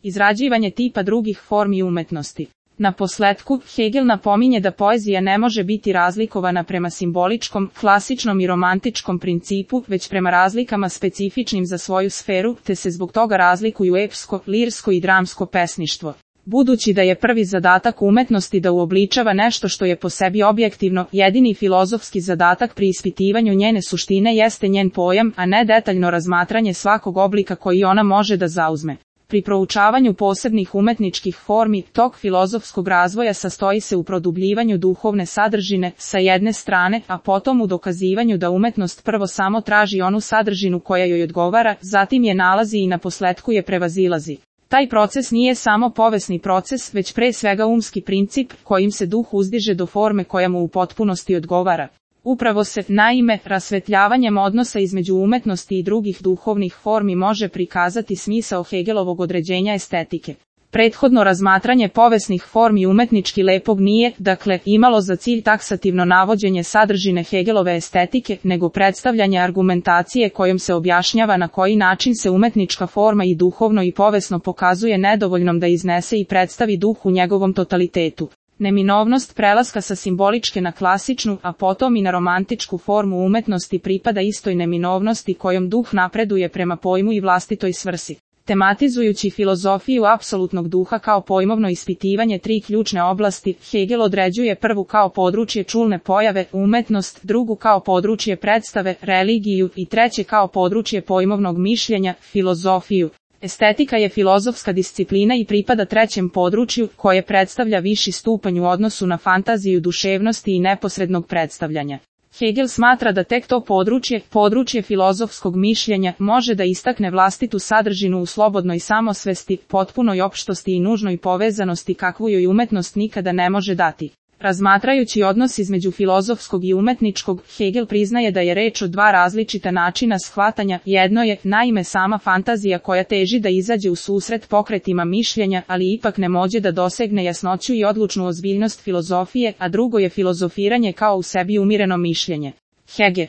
izrađivanje tipa drugih formi umetnosti. Na posletku, Hegel napominje da poezija ne može biti razlikovana prema simboličkom, klasičnom i romantičkom principu, već prema razlikama specifičnim za svoju sferu, te se zbog toga razlikuju epsko, lirsko i dramsko pesništvo. Budući da je prvi zadatak umetnosti da uobličava nešto što je po sebi objektivno, jedini filozofski zadatak pri ispitivanju njene suštine jeste njen pojam, a ne detaljno razmatranje svakog oblika koji ona može da zauzme. Pri proučavanju posebnih umetničkih formi, tok filozofskog razvoja sastoji se u produbljivanju duhovne sadržine, sa jedne strane, a potom u dokazivanju da umetnost prvo samo traži onu sadržinu koja joj odgovara, zatim je nalazi i na posletku je prevazilazi. Taj proces nije samo povesni proces, već pre svega umski princip, kojim se duh uzdiže do forme koja mu u potpunosti odgovara. Upravo se, naime, rasvetljavanjem odnosa između umetnosti i drugih duhovnih formi može prikazati smisao Hegelovog određenja estetike. Prethodno razmatranje povesnih formi umetnički lepog nije, dakle, imalo za cilj taksativno navođenje sadržine Hegelove estetike, nego predstavljanje argumentacije kojom se objašnjava na koji način se umetnička forma i duhovno i povesno pokazuje nedovoljnom da iznese i predstavi duh u njegovom totalitetu. Neminovnost prelaska sa simboličke na klasičnu, a potom i na romantičku formu umetnosti pripada istoj neminovnosti kojom duh napreduje prema pojmu i vlastitoj svrsi. Tematizujući filozofiju apsolutnog duha kao pojmovno ispitivanje tri ključne oblasti, Hegel određuje prvu kao područje čulne pojave, umetnost, drugu kao područje predstave, religiju i treće kao područje pojmovnog mišljenja, filozofiju. Estetika je filozofska disciplina i pripada trećem području, koje predstavlja viši stupanj u odnosu na fantaziju duševnosti i neposrednog predstavljanja. Hegel smatra da tek to područje filozofskog mišljenja, može da istakne vlastitu sadržinu u slobodnoj samosvesti, potpunoj opštosti i nužnoj povezanosti kakvu joj umetnost nikada ne može dati. Razmatrajući odnos između filozofskog i umetničkog, Hegel priznaje da je reč o dva različita načina shvatanja. Jedno je, naime, sama fantazija koja teži da izađe u susret pokretima mišljenja, ali ipak ne može da dosegne jasnoću i odlučnu ozbiljnost filozofije, a drugo je filozofiranje kao u sebi umireno mišljenje. Hegel